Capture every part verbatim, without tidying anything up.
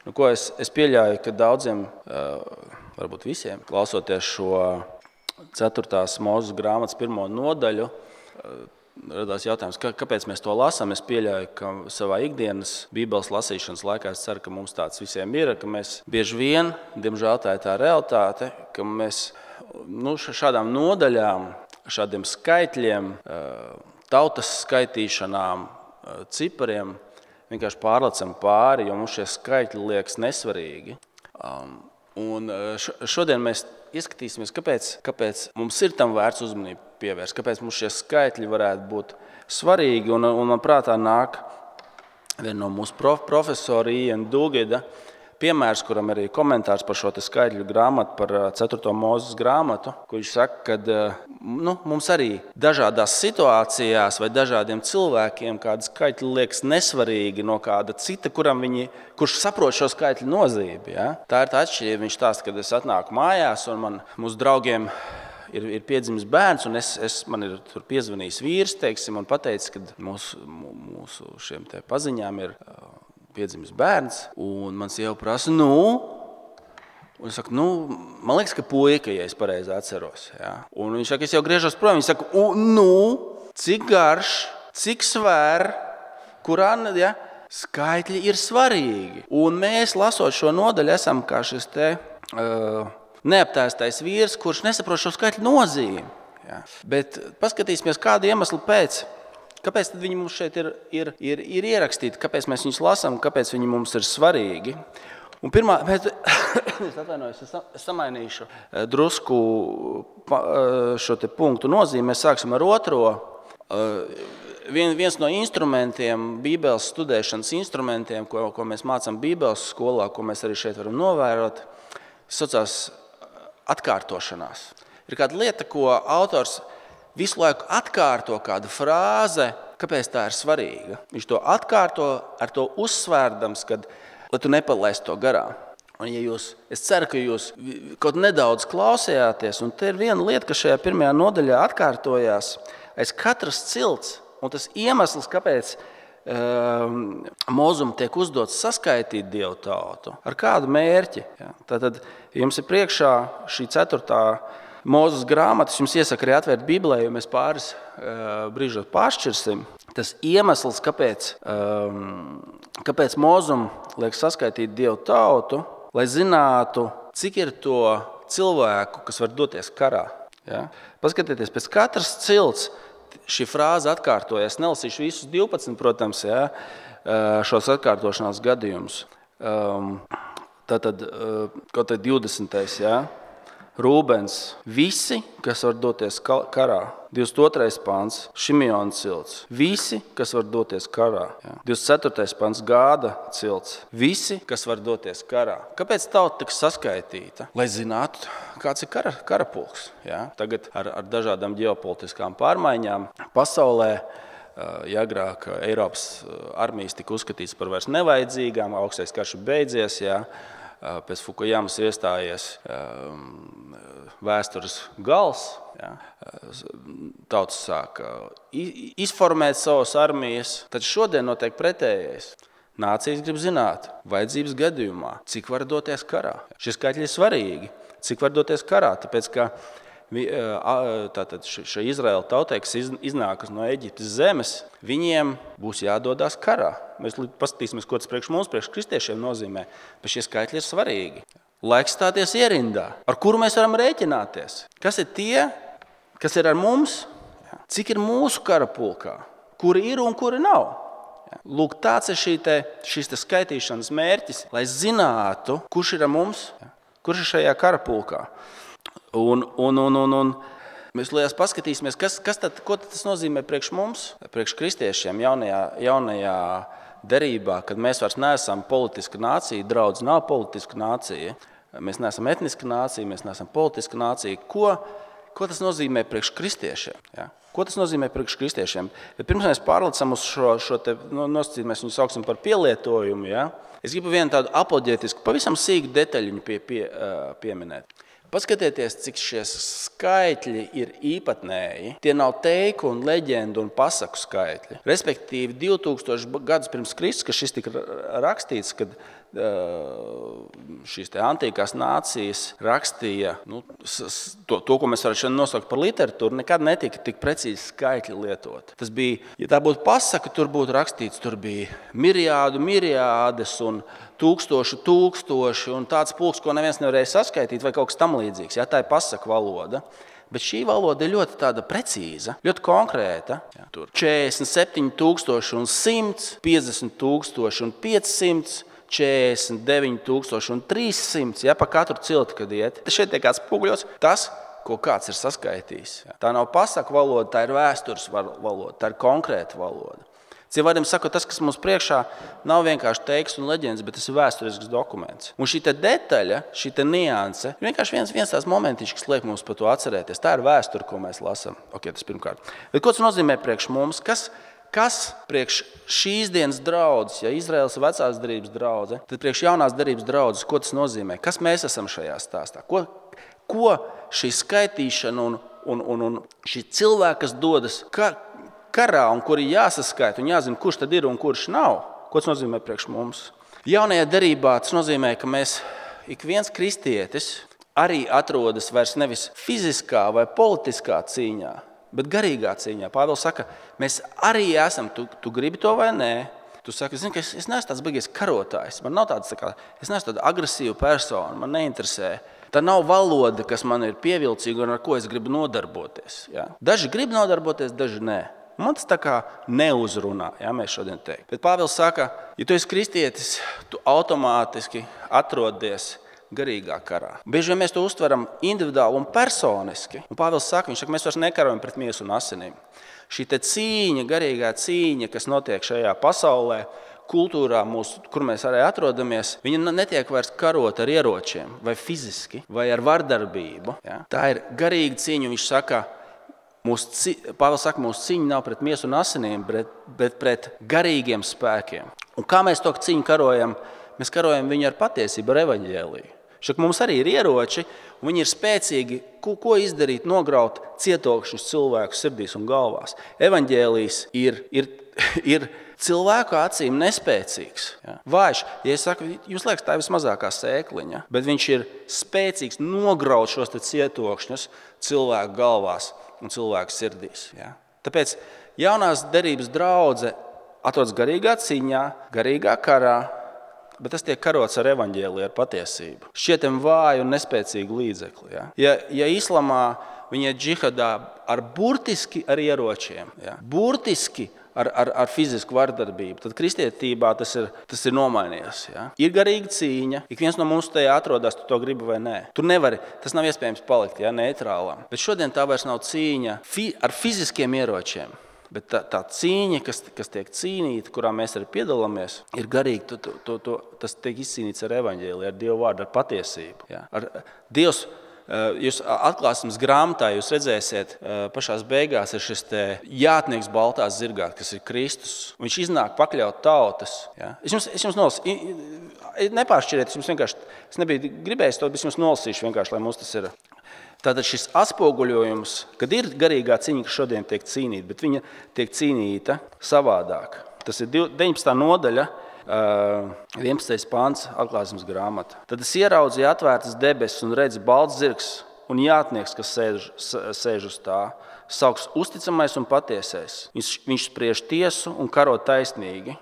Nu, ko es, es pieļauju, ka daudziem, varbūt visiem, klausoties šo ceturtās Mūzes grāmatas pirmo nodaļu, radās jautājums, kāpēc mēs to lasām. Es pieļauju, ka savā ikdienas Bībeles lasīšanas laikā es ceru, ka mums tāds visiem ir, ka mēs bieži vien, diemžēl tā ir tā realitāte, ka mēs nu, šādām nodaļām, šādiem skaitļiem, tautas skaitīšanām, cipariem vienkārši pārlecam pāri, jo mums šie skaitļi liekas nesvarīgi. Un šodien mēs ieskatīsimies, kāpēc, kāpēc mums ir tam vērts uzmanību pievērst, kāpēc mums šie skaitļi varētu būt svarīgi. Un, un man prātā nāk viena no mūsu prof, profesora Iena Dugida piemērs, kuram arī komentārs par šo te skaitļu grāmatu, par ceturto Mūzes grāmatu, kur viņš saka, ka nu, mums arī dažādās situācijās vai dažādiem cilvēkiem kādi skaitļi liekas nesvarīgi no kāda cita, kuram viņi, kurš saprot šo skaitļu nozīmi. Ja? Tā ir tā atšķirība. Viņš stāsta, kad es atnāku mājās un man, mūsu draugiem ir, ir piedzimis bērns, un es, es, man ir tur piezvanījis vīrs, teiksim, un pateicis, ka mūsu, mūsu šiem te paziņām ir piedzimis bērns, un man sieva prasa, nu, un es saku, nu, man liekas, ka puika, ja es pareizi atceros. Ja? Un viņš saka, es jau griežos prom, viņš saka, nu, cik garš, cik svēr, kurā, ja, skaitļi ir svarīgi. Un mēs, lasot šo nodaļu, esam kā šis te uh, neaptēstais vīrs, kurš nesaprot šo skaitļu nozīmi. Ja? Bet paskatīsimies, kādu iemeslu pēc. Kāpēc tad viņi mums šeit ir, ir, ir, ir ierakstīti, kāpēc mēs viņus lasām, kāpēc viņi mums ir svarīgi? Un pirmā, bet, es atvainojos, es samainīšu drusku šo te punktu nozīmi. Mēs sāksim ar otro. Vien, viens no instrumentiem, Bībeles studēšanas instrumentiem, ko, ko mēs mācām Bībeles skolā, ko mēs arī šeit varam novērot, saucās atkārtošanās. Ir kāda lieta, ko autors visu laiku atkārto kādu frāze, kāpēc tā ir svarīga. Viņš to atkārto ar to uzsvērdams, kad, lai tu nepalaisti to garām. Un ja jūs, es ceru, ka jūs kaut nedaudz klausījāties, un te ir viena lieta, kas šajā pirmajā nodaļā atkārtojās, aiz katras cilts, un tas iemesls, kāpēc um, Mūzum tiek uzdots saskaitīt Dievu tautu, ar kādu mērķi. Ja? Tātad jums ir priekšā šī ceturtā Mūzes grāmatas, jums iesaka arī atvērt Bībelē, jo mēs pāris uh, brīžos pāršķirsim. Tas iemesls, kāpēc, um, kāpēc Mūzum liek saskaitīt Dievu tautu, lai zinātu, cik ir to cilvēku, kas var doties karā. Ja? Paskatieties, pēc katras cilts šī frāze atkārtojas. Nelasīšu visus divpadsmit, protams, ja? šos atkārtošanās gadījumus. Um, tātad, uh, kaut tad divdesmitais, ja? Rūbens, visi, kas var doties karā. divdesmit otrais pants, Šimeona cilts, visi, kas var doties karā. Ja. divdesmit ceturtais pants, Gāda cilts, visi, kas var doties karā. Kāpēc tauta tiks saskaitīta? Lai zinātu, kāds ir kara, karapulks. Ja. Tagad ar, ar dažādām ģeopolitiskām pārmaiņām pasaulē, ja agrāk Eiropas armijas tika uzskatīts par vairs nevajadzīgām, augstais karš beidzies, ja. Pēc Fukujamas iestājies vēstures gals. Ja. Tautas sāk izformēt savas armijas. Tad šodien notiek pretējais. Nācijas grib zināt, vajadzības gadījumā, cik var doties karā. Šie skaitļi ir svarīgi, cik var doties karā. Tāpēc, ka tātad šai Izraēla tautai, kas iznākas no Eģiptes zemes, viņiem būs jādodās karā. Mēs paskatīsimies, ko tas priekš mums, priekš kristiešiem nozīmē, bet šie skaitļi ir svarīgi. Laiks stāties ierindā, ar kuru mēs varam rēķināties. Kas ir tie, kas ir ar mums? Cik ir mūsu karapulkā? Kuri ir un kuri nav? Lūk, tāds ir šī te, šīs te skaitīšanas mērķis, lai zinātu, kurš ir ar mums, kurš ir šajā karapulkā. Un, un, un, un, un mēs lielās paskatīsimies, kas, kas tad, ko tad tas nozīmē priekš mums, priekš kristiešiem jaunajā, jaunajā derībā, kad mēs vairs neesam politiska nācija, draudz nav politiska nācija, mēs neesam etniska nācija, mēs neesam politiska nācija. Ko, ko tas nozīmē priekš kristiešiem? Ja? Ko tas nozīmē priekš kristiešiem? Bet pirms mēs pārlecam uz šo, šo te, no, nosacīt, mēs viņu sauksim par pielietojumu, ja? Es gribu vienu tādu apoloģētisku, pavisam sīku detaļiņu pie, pie, pieminēt. Paskatieties, cik šie skaitļi ir īpatnēji. Tie nav teiku un leģendu un pasaku skaitļi. Respektīvi, divtūkstoši gadus pirms Kristus, kad šis tika rakstīts, kad šīs te antīkās nācijas rakstīja, nu, to, to, ko mēs varam nosaukt par literatūru, nekad netika tik precīzi skaitļi lietot. Tas bija, ja tā būtu pasaka, tur būtu rakstīts, tur bija miriādu, miriādes un tūkstoši, tūkstoši un tāds pulks, ko neviens nevarēja saskaitīt vai kaut kas tam līdzīgs. Ja, tā ir pasaka valoda. Bet šī valoda ir ļoti tāda precīza, ļoti konkrēta. Ja, tur četrdesmit septiņi tūkstoši un simts, piecdesmit tūkstoši un piecsimt, četrdesmit deviņi tūkstoši un trīs simti, ja pa katru cilti, kad iet. Šeit tiek atspoguļots tas, ko kāds ir saskaitījis. Ja. Tā nav pasaku valoda, tā ir vēstures valoda, tā ir konkrēta valoda. Citiem vārdiem sakot, tas, kas mums priekšā, nav vienkārši teksts un leģendas, bet tas ir vēsturisks dokuments. Un šī detaļa, šī nianse, ir vienkārši viens, viens tās momentiņš, kas liek mums par to atcerēties. Tā ir vēsture, ko mēs lasām. Okay, tas pirmkārt. Bet ko tas nozīmē priekš mums? Kas, kas priekš šīs dienas draudzes, ja Izraēlas vecās derības draudze, tad priekš jaunās derības draudzes, ko tas nozīmē? Kas mēs esam šajā stāstā? Ko, ko šī skaitīšana un, un, un, un šī cilvēka, kas dodas ka, karā un kuri jāsaskaita un jāzina, kurš tad ir un kurš nav, ko tas nozīmē priekš mums? Jaunajā derībā tas nozīmē, ka mēs, ik viens kristietis, arī atrodas vairs nevis fiziskā vai politiskā cīņā, bet garīgā cīņā. Pāvils saka, mēs arī esam, tu, tu gribi to vai nē. Tu saki, zini, ka es, es neesmu tāds baigies karotājs. Man nav tāds, tā kā, es neesmu tāda agresīva persona, man neinteresē. Tā nav valoda, kas man ir pievilcīga un ar ko es gribu nodarboties. Ja? Daži grib nodarboties, daži nē. Man tas tā kā neuzrunā, ja, mēs šodien teikt. Bet Pāvils saka, ja tu esi kristietis, tu automātiski atrodies garīgā karā. Bieži vien mēs to uztveram individuāli un personiski. Un Pāvils saka, viņš saka, mēs vairs nekarojam pret miesu un asinīm. Šī te cīņa, garīgā cīņa, kas notiek šajā pasaulē, kultūrā, mūsu, kur mēs arī atrodamies, viņa netiek vairs karot ar ieročiem, vai fiziski, vai ar vardarbību. Ja? Tā ir garīga cīņa, un viņš saka, mūsu, Pāvils saka, mūsu cīņa nav pret miesu un asinīm, bet, bet pret garīgiem spēkiem. Un kā mēs to cīņu karojam? Mēs karojam viņu ar patiesību, ar evaņģēliju. Šak mums arī ir ieroči, un viņi ir spēcīgi, ko, ko izdarīt, nograut cietokšņus cilvēku sirdīs un galvās. Evaņģēlijs ir, ir, ir cilvēku acīm nespēcīgs. Ja? Vājš, ja es saku, jūs liekas, tā ir vismazākā sēkliņa, bet viņš ir spēcīgs nograut šos cietokšņus cilvēku galvās un cilvēku sirdīs. Ja? Tāpēc jaunās derības draudze atrodas garīgā cīņā, garīgā karā, bet tas tiek karots ar evaņģēliju, ar patiesību. Šķietam vāju un nespēcīgu līdzekli. Ja, ja, ja islamā viņi ir džihadā ar burtiski ar ieročiem, ja, burtiski ar, ar, ar fizisku vardarbību, tad kristietībā tas ir, tas ir nomainījies. Ja. Ir garīga cīņa, ik viens no mums tajā atrodas, tu to gribi vai nē. Tur nevari, tas nav iespējams palikt, ja, neitrālam. Bet šodien tā vairs nav cīņa fi, ar fiziskiem ieročiem. Bet tā, tā cīņa, kas, kas tiek cīnīta, kurā mēs arī piedalāmies, ir garīga. To, to, to, to, tas tiek izcīnīts ar evaņģēliju, ar Dievu vārdu, ar patiesību. Ja? Ar, Dievs, jūs atklāsmes grāmatā, jūs redzēsiet, pašās beigās ir šis te jātnieks baltā zirgā, kas ir Kristus. Viņš iznāk pakļaut tautas. Ja? Es jums, es jums nolasīšu, nepāršķiriet, es jums vienkārši, es nebiju gribējis to, bet es jums nolasīšu vienkārši, lai mums tas ir. Tātad šis atspoguļojums, kad ir garīgā cīņa, kas šodien tiek cīnīta, bet viņa tiek cīnīta savādāk. Tas ir deviņpadsmitā nodaļa, vienpadsmitais pants atklāsmes grāmata. Tad es ieraudzīju atvērtas debesis un redzu balts zirgs un jātnieks, kas sēž, sēž uz tā, sauks uzticamais un patiesais. Viņš, viņš spriež tiesu un karo taisnīgi.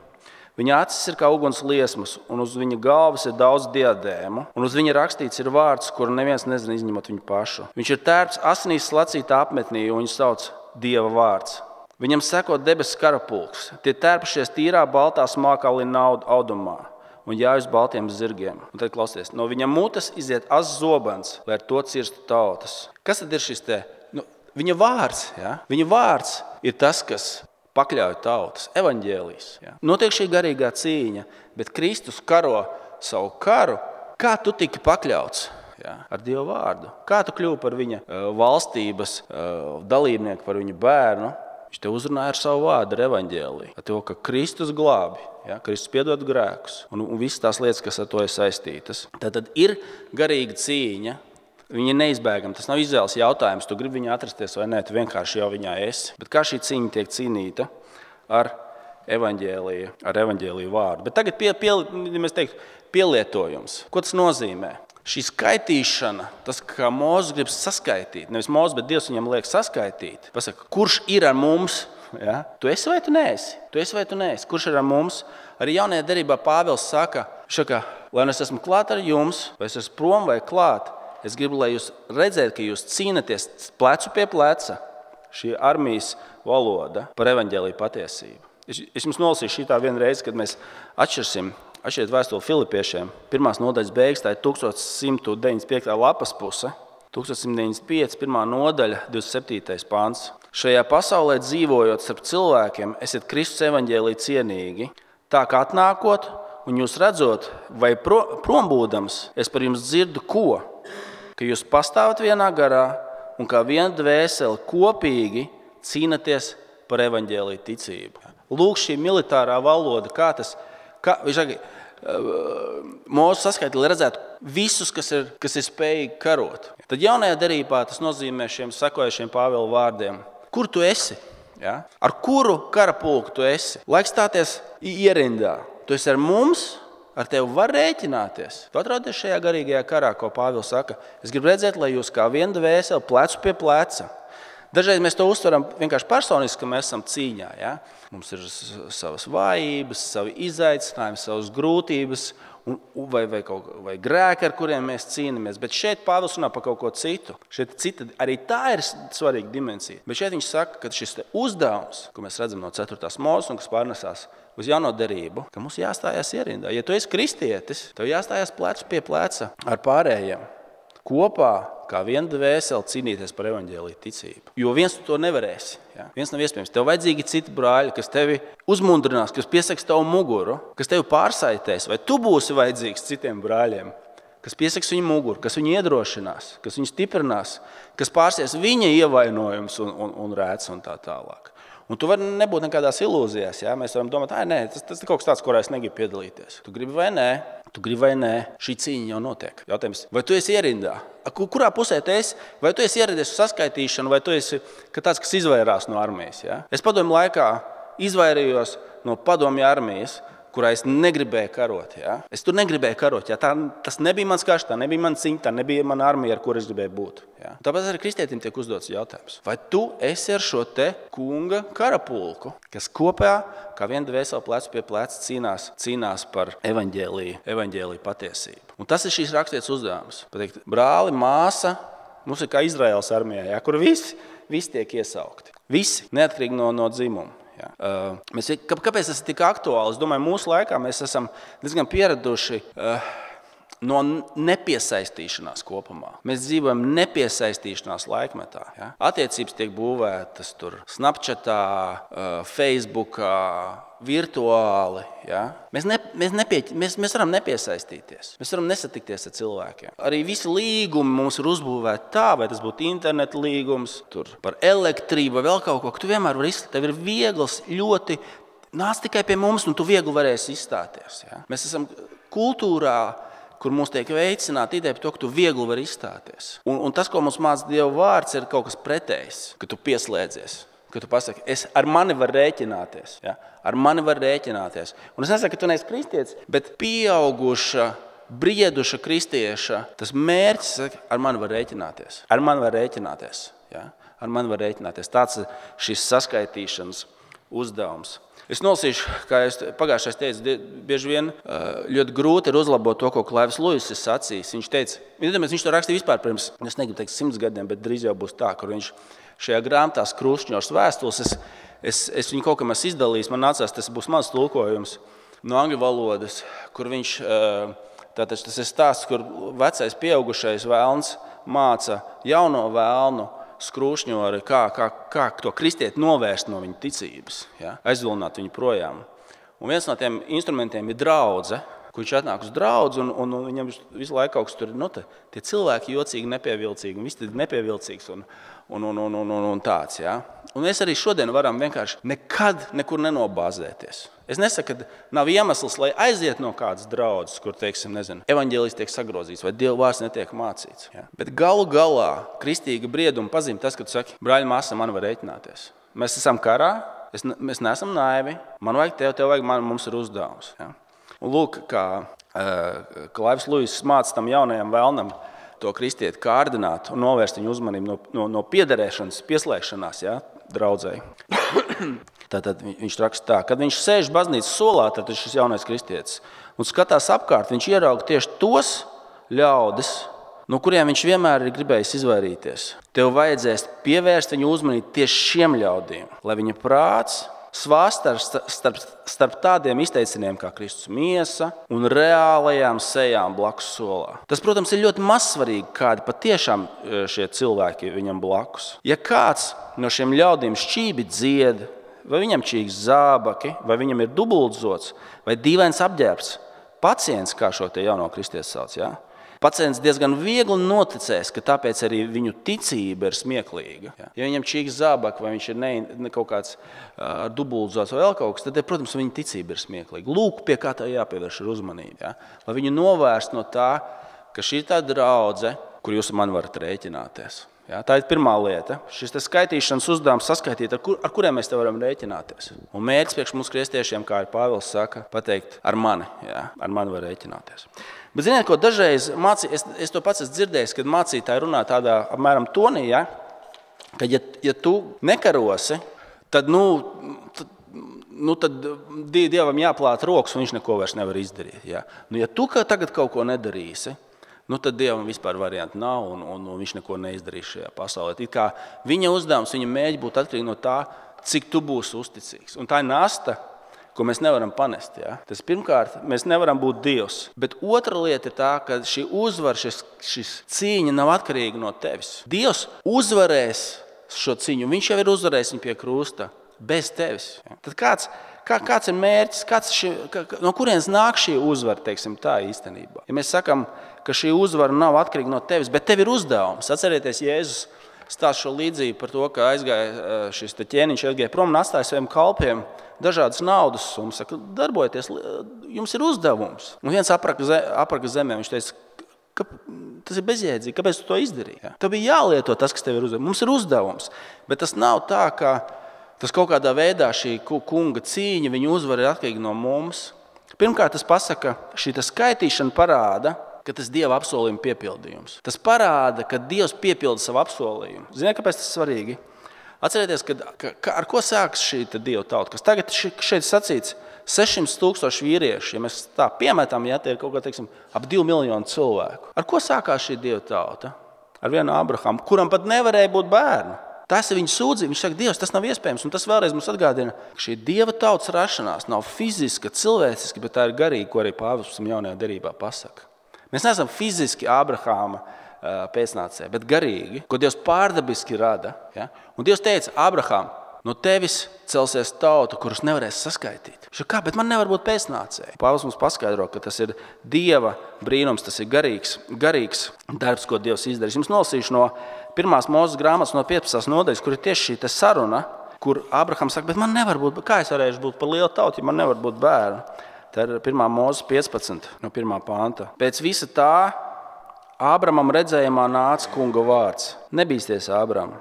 Viņa acis ir kā uguns liesmas, un uz viņa galvas ir daudz diadēmu, un uz viņa rakstīts ir vārds, kuru neviens nezina izņemot viņu pašu. Viņš ir tērps asinīs slacītā apmetnī, un viņu sauc Dieva vārds. Viņam seko debesu karapulks. Tie tērpušies tīrā baltā smākā lina audumā un jāj uz baltiem zirgiem. Un tad klausieties, no viņa mutes iziet azs zobens, lai ar to cirstu tautas. Kas tad ir šis te? Nu, viņa vārds, ja? Viņa vārds ir tas, kas pakļauj tautas, evaņģēlijs. Ja. Notiek šī garīgā cīņa, bet Kristus karo savu karu. Kā tu tiki pakļauts? Ja, ar Dievu vārdu. Kā tu kļuvi par viņa uh, valstības uh, dalībnieku, par viņa bērnu? Viņš te uzrunāja ar savu vārdu, ar evaņģēliju. Ar to, ka Kristus glābi, ja, Kristus piedod grēkus un, un visas tās lietas, kas ar to ir saistītas. Tad ir garīga cīņa. Viņa ir neizbēgama. Tas nav izvēles jautājums. Tu gribi viņā atrasties vai nē, tu vienkārši jau viņā esi. Bet kā šī cīņa tiek cīnīta? Ar evaņģēliju, ar evaņģēliju vārdu. Bet tagad pie, pie, mēs teiktu, pielietojums. Ko tas nozīmē? Šī skaitīšana, tas, kā Mūzes grib saskaitīt, nevis Mūzes, bet Dievs viņam liek saskaitīt. Pasaka, kurš ir ar mums? Ja? Tu esi vai tu neesi? Tu esi vai tu neesi? Kurš ir ar mums? Arī jaunajā derībā Pāvils saka, šaka, lai es esmu klāt ar jums, vai es esmu prom vai klāt, es gribu, lai jūs redzētu, ka jūs cīnaties plecu pie pleca, šī armijas valoda par evaņģēliju patiesību. Es, es jums nolasīšu šitā vienu reizi, kad mēs atšķirsim. Atšķiet vēstuli Filipiešiem. Pirmās nodaļas beigas, tā ir tūkstoš simt deviņdesmit piekta lapas puse. tūkstoš simt deviņdesmit pieci, pirmā nodaļa, divdesmit septītais pāns. Šajā pasaulē dzīvojot starp cilvēkiem, esiet Kristus evaņģēlija cienīgi, tā kā atnākot un jūs redzot, vai pro, prombūdams, es par jums dzirdu ko? Ka jūs pastāvat vienā garā un kā viena dvēseli kopīgi cīnaties par evaņģēlija ticību. Lūk, šī militārā valoda, kā tas Kā, viņš saka, Mūsu saskaita, lai redzētu visus, kas ir, kas ir spējīgi karot. Tad jaunajā derībā tas nozīmē šiem sekojušiem Pāvila vārdiem. Kur tu esi? Ja? Ar kuru karapulku tu esi? Laiks stāties ierindā. Tu esi ar mums, ar tevi var rēķināties. Tu atrodies šajā garīgajā karā, ko Pāvils saka. Es gribu redzēt, lai jūs kā viena dvēseli plecu pie pleca. Dažreiz mēs to uztveram vienkārši personiski, ka mēs esam cīņā. Ja? Mums ir savas vājības, savi izaicinājumi, savas grūtības un, vai, vai, kaut, vai grēki, ar kuriem mēs cīnāmies. Bet šeit Pāvils runā par kaut ko citu. Šeit cita, arī tā ir svarīga dimensija. Bet šeit viņš saka, ka šis uzdevums, ko mēs redzam no ceturtās Mūzes un kas pārnesās uz jauno derību, ka mums jāstājās ierindā. Ja tu esi kristietis, tev jāstājās plecu pie pleca ar pārējiem. Kopā, kā viena dvēseli, cīnīties par evaņģēliju ticību. Jo viens tu to nevarēsi. Ja? Viens nav iespējams. Tev vajadzīgi citi brāļi, kas tevi uzmundrinās, kas piesaks tavu muguru, kas tevi pārsaitēs. Vai tu būsi vajadzīgs citiem brāļiem, kas piesaks viņu muguru, kas viņu iedrošinās, kas viņu stiprinās, kas pārsies viņa ievainojums un, un, un rēts un tā tālāk. Un tu vari nebūt nekādās ilūzijās. Ja? Mēs varam domāt, nē, tas, tas ir kaut kas tāds, kurā es negribu piedalīties. Tu gribi vai nē? Tu gribi vai nē, šī cīņa jau notiek. Jautājums, vai tu esi ierindā? Kurā pusē tu esi? Vai tu esi ieradies uz saskaitīšanu, vai tu esi tāds, kas izvairās no armijas? Ja? Es padomju laikā izvairījos no padomju armijas, kurā es negribēju karot. Ja? Es tur negribēju karot. Ja? Tā, tas nebija mans karš, tā nebija mana cīņa, tā nebija mana armija, ar kuru es gribēju būt. Ja? Tāpēc arī kristietim tiek uzdots jautājums. Vai tu esi ar šo te kunga karapulku, kas kopā, kā viena dvēseli plecu pie pleca cīnās, cīnās par evaņģēliju, evaņģēliju patiesību? Un tas ir šīs rakstītas uzdevums. Pateikt, brāli, māsa, mums ir kā Izraēlas armijā, ja? Kur visi, visi tiek iesaukti. Visi, neatkarīgi no, no dzimuma. Ja. Uh, mēs, kāpēc tas ir tik aktuāli? Es domāju, mūsu laikā mēs esam diezgan pieraduši uh, no nepiesaistīšanās kopumā. Mēs dzīvojam nepiesaistīšanās laikmetā. Ja. Attiecības tiek būvētas tur Snapchatā, uh, Facebookā, virtuāli. Ja. Mēs, ne, mēs, nepie, mēs, mēs varam nepiesaistīties. Mēs varam nesatikties ar cilvēkiem. Arī visi līgumi mums ir uzbūvēti tā, vai tas būtu interneta līgums, tur par elektrību vai vēl kaut ko, ka tu vienmēr vari izstāties. Tev ir viegls, ļoti, nāc tikai pie mums, un tu viegli varēsi izstāties. Ja. Mēs esam kultūrā, kur mums tiek veicināta ideja par to, ka tu viegli vari izstāties. Un, un tas, ko mums māca Dieva vārds, ir kaut kas pretējs, ka tu pieslēdzies. Ka tu pasaki, es ar mani var rēķināties. Ja? Ar mani var rēķināties. Un es nesaku, ka tu neesi kristietis, bet pieauguša, brieduša kristieša, tas mērķis, saka, ar mani var rēķināties. Ar mani var rēķināties. Ja? Ar mani var rēķināties. Tāds ir šis saskaitīšanas uzdevums. Es nolasīšu, kā es pagājušais teicu, bieži vien ļoti grūti ir uzlabot to, ko Klaivs Luiss ir sacījis. Viņš teica, viņš to rakstīja vispār pirms, es negribu teikt simts gadiem, bet drīz jau būs tā, kur viņš šajā grāmatā Krušņors vēstules, es, es, es viņu kaut kam esmu izdalījis, man nācās, tas būs mans tulkojums no angļu valodas, kur viņš, tātad tas ir stāsts, kur vecais pieaugušais vēlns māca jauno vēlnu Skrūšņori, kā, kā, kā to kristieti novērst no viņa ticības, ja? Aizvilināt viņu projām. Un viens no tiem instrumentiem ir draudze, kur viņš atnāk uz draudzi, un, un, un viņam visu laiku kaut kas tur, nu, te, tie cilvēki jocīgi, nepievilcīgi, un viss ir nepievilcīgs un, un, un, un, un, un tāds, ja? Un mēs arī šodien varam vienkārši nekad nekur nenobāzēties. Es nesaku, ka nav iemesls, lai aiziet no kādas draudzes, kur, teiksim, nezinu, evaņģēlijs tiek sagrozīts vai Dieva vārds netiek mācīts. Ja? Bet galu galā kristīga brieduma pazīme tas, ka tu saki, brāļi, māsa, man var rēķināties. Mēs esam karā, Es, mēs neesam naivi. Man vajag tev, tev vajag, man, mums ir uzdevums. Ja? Un lūk, kā uh, Klaivs Luiss māca tam jaunajam vēlnam to kristieti kārdināt un novērst viņu uzmanību no, no, no piederēšanas, pieslēgšanās, ja, draudzēji. Tātad viņš raksta tā, kad viņš sēž baznīcas solā, tad šis jaunais kristietis, un skatās apkārt, viņš ierauga tieši tos ļaudis, no kuriem viņš vienmēr ir gribējis izvairīties. Tev vajadzēs pievērst viņu uzmanību tieši šiem ļaudīm, lai viņa prāts svāsta starp, starp tādiem izteiciniem kā Kristus miesa un reālajām sejām blakus solā. Tas, protams, ir ļoti mazsvarīgi, kādi patiešām šie cilvēki viņam blakus. Ja kāds no šiem ļaudīm šķībi dzied, vai viņam čīgs zābaki, vai viņam ir dubultzots, vai dīvains apģērbs, pacients, kā šo te jauno kristietis sauc, ja? Pacients diezgan viegli noticēs, ka tāpēc arī viņu ticība ir smieklīga. Ja, ja viņam čīks zābaki, vai viņš ir ne, ne kaut kāds uh, dubultzots vai vēl kaut kas, tad, protams, viņa ticība ir smieklīga. Lūk, pie kā tā jāpievērš ir uzmanība. Ja? Lai viņu novērst no tā, ka šī ir tā draudze, kur jūs man varat rēķināties. Ja? Tā ir pirmā lieta. Šis skaitīšanas uzdevums saskaitīt, ar, kur, ar kuriem mēs te varam rēķināties. Un mērķis priekš mums kristiešiem, kā ir Pāvils saka, pateikt ar mani. Ja? Ar mani var rēķināties. Bet ziniet, ko dažreiz mācī, es, es to pats esmu dzirdējis, kad mācītāji runā tādā apmēram tonī, ja? Ka ja, ja tu nekarosi, tad, nu, tad, nu, tad Dievam jāplāt rokas un viņš neko vairs nevar izdarīt. Ja, nu, ja tu tagad kaut ko nedarīsi, nu, tad Dievam vispār varianti nav un, un, un viņš neko neizdarīs šajā pasaulē. It kā viņa uzdevums, viņa mēģi būt atkarīgi no tā, cik tu būsi uzticīgs. Un tā ir nasta, ko mēs nevaram panest. Ja? Tas pirmkārt, mēs nevaram būt Dievs. Bet otra lieta ir tā, ka šī uzvara, šis, šis cīņa nav atkarīga no tevis. Dievs uzvarēs šo cīņu. Viņš jau ir uzvarējis viņu pie krusta bez tevis. Ja? Tad kāds, kā, kāds ir mērķis? Kāds šī, kā, no kurienes nāk šī uzvara, teiksim tā īstenībā? Ja mēs sakam, ka šī uzvara nav atkarīga no tevis, bet tev ir uzdevums. Atcerieties, Jēzus stāsta šo līdzību par to, ka aizgāja šis ķēniņš aizgāja prom un atstāja saviem kalpiem dažādas naudas summas. Saka, darbojieties, jums ir uzdevums. Un viens apraka zemē, viņš teica, ka tas ir bezjēdzīgi, kāpēc tu to izdarīji? Ja? Tev bija jālieto tas, kas tev ir uzdevums. Mums ir uzdevums, bet tas nav tā, ka tas kaut kādā veidā šī kunga cīņa, viņa uzvara ir atkarīga no mums. Pirmkārt, tas pasaka, šī skaitīšana parāda, ka tas Dieva apsolījuma piepildījums. Tas parāda, ka Dievs piepilda savu apsolījumu. Ziniet, kāpēc tas ir svarīgi? Atcerieties, ka, ka, ar ko sākas šī Dieva tauta, kas tagad šeit sacīts sešsimt tūkstoši vīrieši, ja mēs tā piemetam, ja tie ir kaut kā, teiksim, ap divi miljoni cilvēku. Ar ko sākās šī Dieva tauta? Ar vienu Abrahamu, kuram pat nevarēja būt bērnu. Tas ir viņa sūdzība. Viņš saka, Dievs, tas nav iespējams. Un tas vēlreiz mums atgādina, ka šī Dieva tautas rašanās nav fiziska, cilvēciska, bet tā ir garīga, ko arī Pāvils jaunajā derībā pasaka. Mēs neesam fiziski Abrahama pēcnācēji, bet garīgi, ko Dievs pārdabiski rada. Ja? Un Dievs teica, Abraham, no tevis celsies tauta, kurus nevarēs saskaitīt. Viņš saka, kā, bet man nevar būt pēcnācēji. Pāvils mums paskaidro, ka tas ir Dieva brīnums, tas ir garīgs, garīgs darbs, ko Dievs izdarīs. Jums nolasīšu no pirmās Mūzes grāmatas no piecpadsmitās nodaļas, kur ir tieši šī saruna, kur Abrahams saka, bet man nevar būt, kā es varēšu būt par lielu tautu, ja man nevar būt bērnu. Tā ir pirmā Mūzes piecpadsmit no pirmā panta. Pēc visa tā Ābramam redzējumā nāca kunga vārds. Nebīsties, Ābram,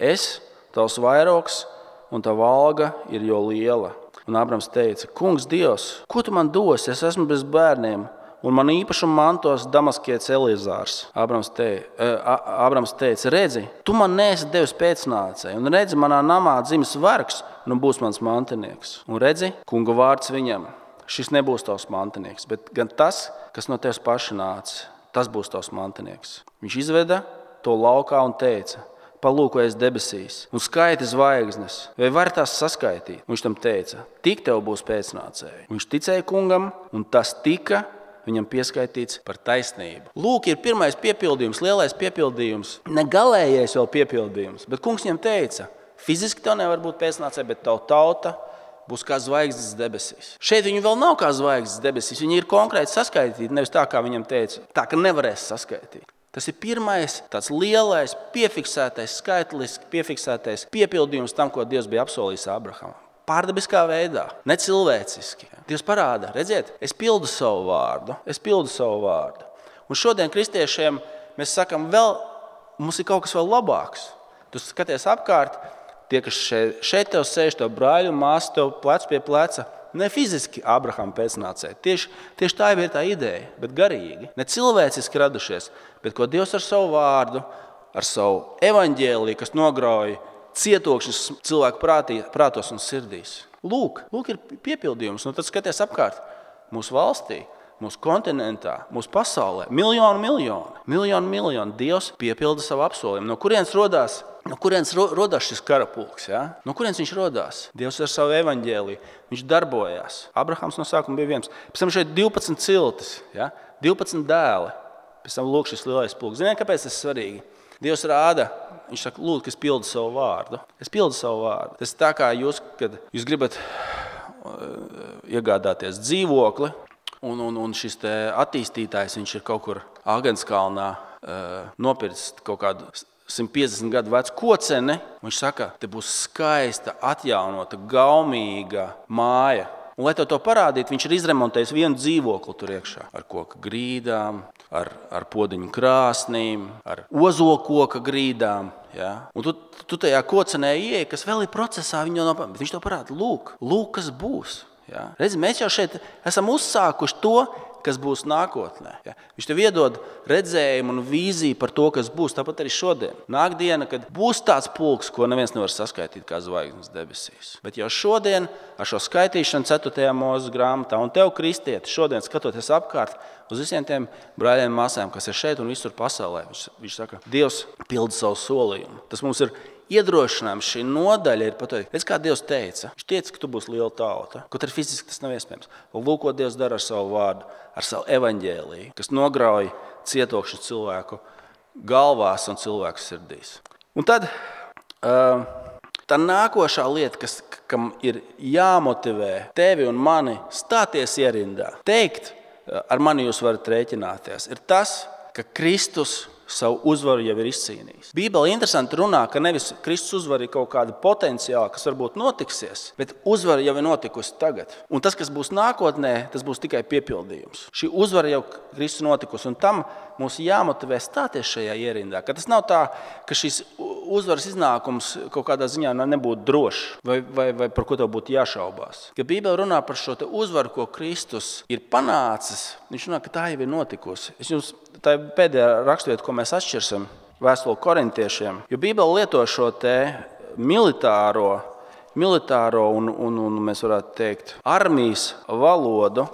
es, tavs vairogs un tava alga ir jo liela. Un Ābrams teica, kungs Dievs, ko tu man dosi? Es esmu bez bērniem, un man īpašumu mantos Damaskietis Eliezārs. Ābrams teica, Ābrams teica, redzi, tu man neesi devis pēcnācēju, un redzi, manā namā dzimis vergs, un būs mans mantinieks. Un redzi, kunga vārds viņam, šis nebūs tavs mantinieks, bet gan tas, kas no tevis paša nāca. Tas būs tavs mantinieks. Viņš izveda to laukā un teica, palūkojies debesīs un skaiti zvaigznes, vai var tās saskaitīt? Viņš tam teica, tik tev būs pēcnācēji. Viņš ticēja kungam, un tas tika viņam pieskaitīts par taisnību. Lūk, ir pirmais piepildījums, lielais piepildījums, ne galējais vēl piepildījums, bet kungs viņam teica, fiziski tev nevar būt pēcnācēji, bet tavu tauta būs kā zvaigznes debesīs. Šeit viņi vēl nav kā zvaigznes debesīs, viņi ir konkrēti saskaitīti, nevis tā, kā viņam teica, tā, ka nevarēs saskaitīt. Tas ir pirmais tāds lielais, piefiksētais, skaitliski piefiksētais piepildījums tam, ko Dievs bija apsolījis Abrahamam. Pārdabiskā veidā, ne cilvēciski. Dievs parāda, redziet, es pildu savu vārdu, es pildu savu vārdu. Un šodien kristiešiem mēs sakam, vēl, mums ir kaut kas vēl labāks. Tu skaties apkārt, tie, kas šeit, šeit tev sēž, tev brāļi un māsa, tev plec pie pleca, ne fiziski Abrahama pēcnācēji. Tieši, tieši tā ir tā ideja, bet garīgi. Ne cilvēciski radušies, bet ko Dievs ar savu vārdu, ar savu evaņģēliju, kas nograuj cietokšņus cilvēku prātī, prātos un sirdīs. Lūk, lūk ir piepildījums. Nu, tad skaties apkārt mūsu valstī, mūsu kontinentā, mūsu pasaulē. Miljonu, miljonu, miljonu, miljonu. Dievs piepilda savu apsolījumu. No kurienes rodās? No kurienes rodās šis karapulks? Ja? No kurienes viņš rodās? Dievs ar savu evaņģēliju. Viņš darbojās. Abrahams no sākuma bija viens. Pēc tam šeit divpadsmit ciltis, ja? divpadsmit dēli. Pēc tam lūk šis lielais pulks. Ziniet, kāpēc tas ir svarīgi? Dievs rāda, viņš saka, lūdzu, ka es pildu savu vārdu. Es pildu savu vārdu. Tas ir tā kā jūs, kad jūs gribat iegādāties dzīvokli, un, un, un šis te attīstītājs, viņš ir kaut kur Āgenskalnā nopircis kaut kādu simt piecdesmit gadu vecu koceni. Viņš saka, te būs skaista, atjaunota, gaumīga māja. Un, lai tev to parādītu, viņš ir izremontējis vienu dzīvokli tur iekšā. Ar koka grīdām, ar, ar podiņu krāsnīm, ar ozokoka grīdām. Ja? Un tu, tu tajā kocenē ieej, kas vēl ir procesā, viņa nav, bet viņš to parāda. Lūk, lūk, kas būs. Ja? Redzi, mēs jau šeit esam uzsākuši to, kas būs nākotnē. Ja? Viņš tev iedod redzējumu un vīziju par to, kas būs. Tāpat arī šodien. Nāk diena, kad būs tāds pulks, ko neviens nevar saskaitīt kā zvaigznes debesīs. Bet jau šodien ar šo skaitīšanu ceturtajā Mūzes grāmatā un tev, kristieti, šodien skatoties apkārt uz visiem tiem brāļiem un māsām, kas ir šeit un visur pasaulē, viņš, viņš saka, Dievs pilda savu solījumu. Tas mums ir iedrošinājums, šī nodaļa ir pateikt. Redz, kā Dievs teica. Viņš teica, ka tu būsi liela tauta. Kaut arī fiziski tas nav iespējams. Lūk, ko Dievs dara ar savu vārdu, ar savu evaņģēliju, kas nograuj cietokšņu cilvēku galvās un cilvēku sirdīs. Un tad tā nākošā lieta, kas, kam ir jāmotivē tevi un mani stāties ierindā, teikt, ar mani jūs varat rēķināties, ir tas, ka Kristus savu uzvaru jau ir izcīnījis. Bībele interesanti runā, ka nevis Kristus uzvara ir kaut kāda potenciāla, kas varbūt notiksies, bet uzvara jau ir notikusi tagad. Un tas, kas būs nākotnē, tas būs tikai piepildījums. Šī uzvara jau Kristus notikusi, un tam mums jāmotivē stāties šajā ierindā. Ka tas nav tā, ka šis uzvaras iznākums kaut kādā ziņā nebūtu drošs, vai, vai, vai par ko tev būtu jāšaubās. Ka Bībele runā par šo te uzvaru, ko Kristus ir panācis, viņš runā, ka tā jau ir notikusi. Es jums, tā ir pēdējā raksturvieta, ko mēs atšķirsim vēstuli korintiešiem, jo Bībele lieto šo te militāro, militāro un, un, un mēs varētu teikt, armijas valodu,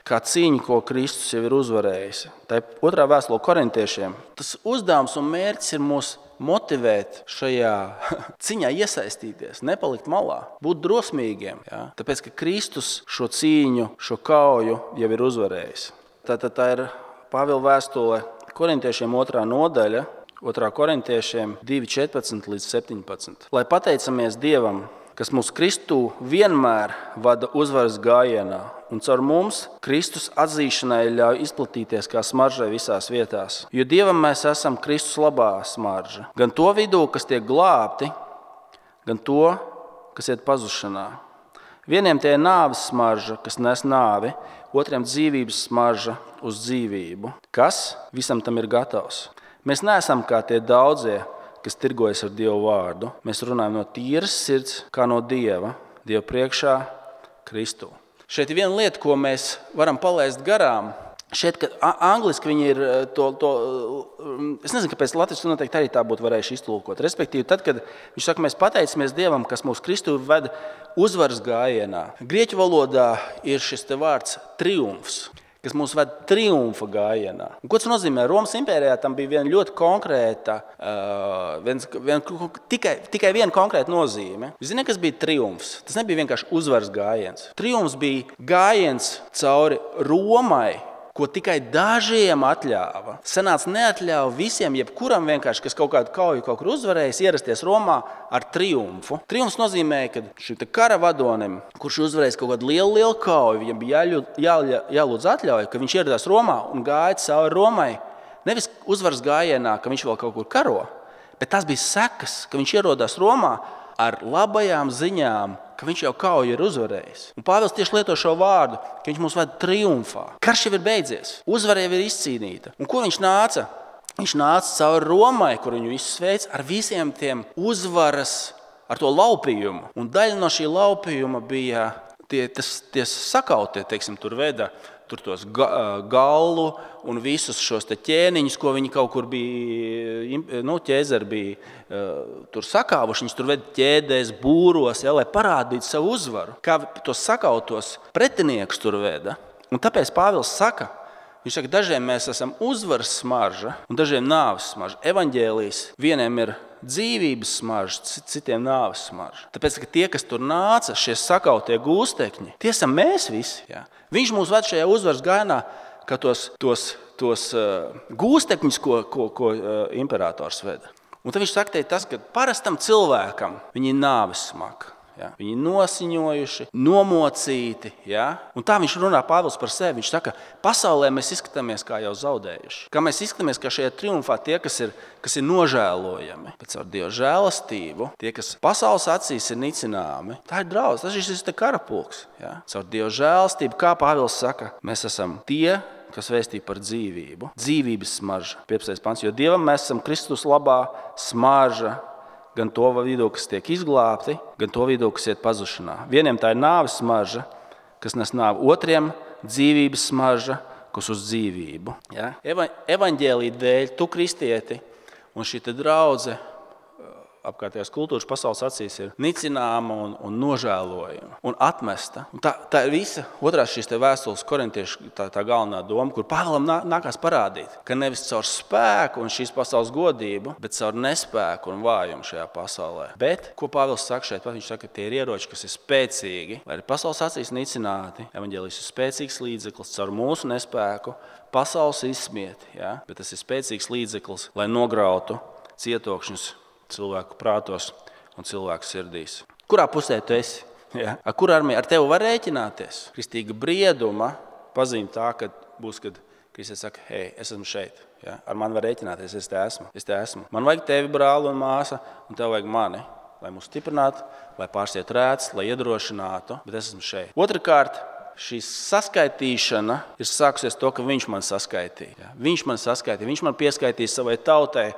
kā cīņu, ko Kristus jau ir uzvarējis. Tā ir otrā vēstule korintiešiem. Tas uzdevums un mērķis ir mūs motivēt šajā ciņā iesaistīties, nepalikt malā, būt drosmīgiem. Ja? Tāpēc, ka Kristus šo cīņu, šo kauju jau ir uzvarējis. Tātad tā ir Pāvila vēstule korintiešiem otrā nodaļa, otrā korintiešiem divi četrpadsmit līdz septiņpadsmit. Lai pateicamies Dievam, kas mūs Kristu vienmēr vada uzvaras gājienā, un caur mums Kristus atzīšanai ļauj izplatīties kā smaržai visās vietās. Jo Dievam mēs esam Kristus labā smarža. Gan to vidū, kas tiek glābti, gan to, kas iet pazušanā. Vieniem tie ir nāves smarža, kas nes nāvi, otriem dzīvības smarža uz dzīvību. Kas visam tam ir gatavs? Mēs neesam kā tie daudzie, kas tirgojas ar Dievu vārdu. Mēs runājam no tīras sirds, kā no Dieva, Dieva priekšā, Kristu. Šeit ir viena lieta, ko mēs varam palaist garām. Šeit, kad angliski viņi ir to, to es nezinu, kāpēc latviešu noteikti arī tā būtu varējuši iztulkot. Respektīvi, tad, kad viņš saka, mēs pateicamies Dievam, kas mūs Kristu ved uzvaras gājienā. Grieķu valodā ir šis te vārds triumfs, kas mūs ved triumfa gājienā. Un, ko tas nozīmē? Romas impērijā tam bija viena ļoti konkrēta, uh, viens, vien, tikai, tikai viena konkrēta nozīme. Jūs zināt, kas bija triumfs? Tas nebija vienkārši uzvaras gājiens. Triumfs bija gājiens cauri Romai, ko tikai dažiem atļāva. Senāts neatļāva visiem, jebkuram vienkārši, kas kaut kādu kauju kaut kur uzvarējis, ierasties Romā ar triumfu. Triumfs nozīmē, ka šim te kara vadonim, kurš uzvarējis kaut kādu lielu, lielu kauju, viņam bija jāļūdz, jā, jālūdz atļauja, ka viņš ieradās Romā un gāja cauri Romai. Nevis uzvaras gājienā, ka viņš vēl kaut kur karo, bet tas bija sekas, ka viņš ierodās Romā ar labajām ziņām, ka viņš jau kauju ir uzvarējis. Un Pāvils tieši lieto šo vārdu, ka viņš mūs ved triumfā. Karš jau ir beidzies, uzvara jau ir izcīnīta. Un ko viņš nāca? Viņš nāca cauri Romai, kur viņu visus sveic, ar visiem tiem uzvaras ar to laupījumu. Un daļa no šī laupījuma bija tie, tas, tie sakautie, teiksim, tur veda tur tos ga, gallu un visus šos te ķēniņus, ko viņi kaut kur bija, nu, ķēzeri bija uh, tur sakāvuši. Viņus tur veda ķēdēs, būros, ja, lai parādītu savu uzvaru. Kā tos sakautos pretiniekus tur veda. Un tāpēc Pāvils saka, viņš saka, dažiem mēs esam uzvaras smarža un dažiem nāves smarža. Evaņģēlijs vieniem ir dzīvības smarža, citiem nāves smarža. Tāpēc, ka tie, kas tur nāca, šie sakautie gūstekņi, tie esam mēs visi. Jā. Viņš mūs ved šajā uzvaras gainā, kā tos, tos, tos uh, gūstekņus, ko, ko, ko uh, imperators veda. Un tad viņš saka, tas, ka parastam cilvēkam viņi ir nāves smaga. Ja? Viņi ir nosiņojuši, nomocīti. Ja? Un tā viņš runā Pāvils par sevi. Viņš saka, pasaulē mēs izskatāmies kā jau zaudējuši. Kā mēs izskatāmies kā šajā triumfā tie, kas ir, kas ir nožēlojami. Bet caur Dieva žēlastību, tie, kas pasaules acīs ir nicināmi, tā ir draudz, tas ir šis karapulks. Ja? Caur Dieva žēlastību, kā Pāvils saka, mēs esam tie, kas vēstīja par dzīvību. Dzīvības smarža, piecpadsmitais pants, jo Dievam mēs esam Kristus labā smarža, gan to vidū, kas tiek izglābti, gan to vidū, kas iet pazušanā. Vieniem tā ir nāves smarža, kas nes nāvi, otriem dzīvības smarža, kas uz dzīvību. Ja? Evaņģēlija dēļ tu, kristieti, un šī draudze apkārtējās kultūras pasaules acīs ir nicināma un, un nožēlojama un atmesta. Un tā, tā ir visa otrās šīs te vēstules korintiešu tā, tā galvenā doma, kur Pāvilam nā, nākās parādīt, ka nevis caur spēku un šīs pasaules godību, bet caur nespēku un vājumu šajā pasaulē. Bet, ko Pāvils saka šeit, viņš saka, ka tie ir ieroči, kas ir spēcīgi, lai arī pasaules acīs nicināti. Evaņģēlijs ir spēcīgs līdzeklis caur mūsu nespēku, pasaules izsmiet, ja? Bet tas ir spēcīgs līdzeklis, lai nograutu cietokšņus cilvēku prātos un cilvēku sirdīs. Kurā pusē tu esi? Ja? Ar kur armiju? Ar tevi var rēķināties? Kristīga brieduma pazīme tā, ka būs, kad Kristus saka, hei, es esmu šeit. Ja? Ar mani var rēķināties, es te esmu. Es te esmu. Man vajag tevi, brāli un māsa, un tev vajag mani, lai mūs stiprinātu, lai pārsiet rēts, lai iedrošinātu, bet es esmu šeit. Otrakārt, šī saskaitīšana ir sākusies to, ka viņš man saskaitīja. Ja? Viņš man saskaitīja, viņš man pieskaitīja savai tautai,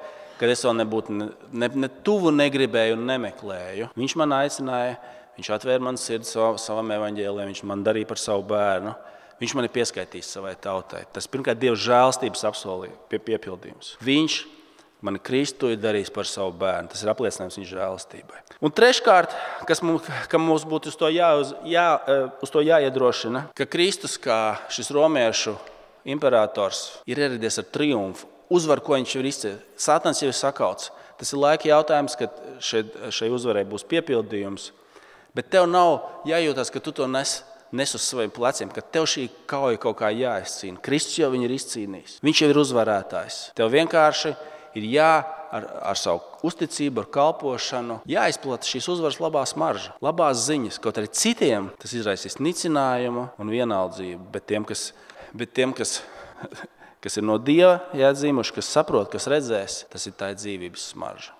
kad es vēl nebūtu ne, ne, ne tuvu negribēju un nemeklēju. Viņš man aicināja, viņš atvēra man sirdi savam, savam evaņģēlijam, viņš man darīja par savu bērnu. Viņš mani pieskaitīs savai tautai. Tas pirmkārt Dieva žēlstības apsolījums, pie, piepildījums. Viņš mani Kristu ir darījis par savu bērnu. Tas ir apliecinājums viņa žēlastībai. Un treškārt, kas mums, ka mums būtu uz to, jā, uz, jā, uz to jāiedrošina, ka Kristus, kā šis romiešu imperators, ir ieradies ar triumfu. Uzvar, ko viņš ir izcēlis. Sātans jau ir sakauts. Tas ir laika jautājums, kad šeit, šai uzvarai būs piepildījums. Bet tev nav jājūtās, ka tu to nes, nes uz saviem pleciem, ka tev šī kauja kaut kā jāizcīna. Kristus jau viņu ir izcīnījis. Viņš jau ir uzvarētājs. Tev vienkārši ir jā, ar, ar savu uzticību, ar kalpošanu, jāizplata šīs uzvaras labā smarža, labās ziņas. Kaut arī citiem tas izraisīs nicinājumu un vienaldzību, bet tiem, kas... Bet tiem, kas kas ir no Dieva jāatzīmuši, kas saprot, kas redzēs, tas ir tā dzīvības smarža.